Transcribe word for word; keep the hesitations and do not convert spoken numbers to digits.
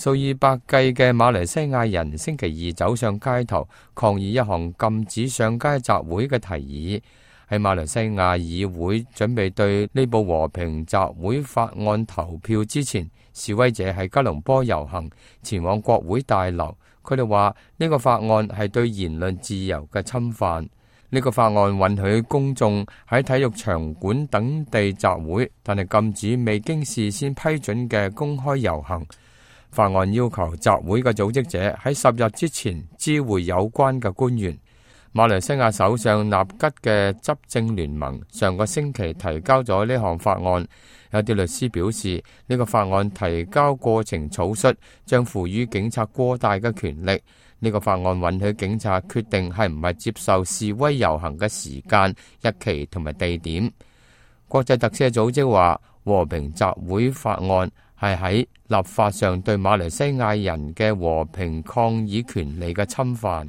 數以百計嘅馬來西亞人星期二走上街頭抗議一項禁止上街集會嘅提議。喺馬來西亞議會準備對呢部和平集會法案投票之前，示威者喺吉隆坡遊行，前往國會大樓。佢哋話呢個法案係對言論自由嘅侵犯。呢個法案允許公眾喺體育場館等地集會，但係禁止未經事先批准嘅公開遊行。法案要求集會嘅組織者喺十日之前知會有關嘅官員。馬來西亞首相納吉嘅執政聯盟上個星期提交咗呢項法案。有啲律師表示，呢個法案提交過程草率，將賦予警察過大嘅權力。呢個法案允許警察決定係唔係接受示威遊行嘅時間、日期同埋地點。國際特赦組織話，和平集會法案係喺立法上對馬來西亞人嘅和平抗議權利嘅侵犯。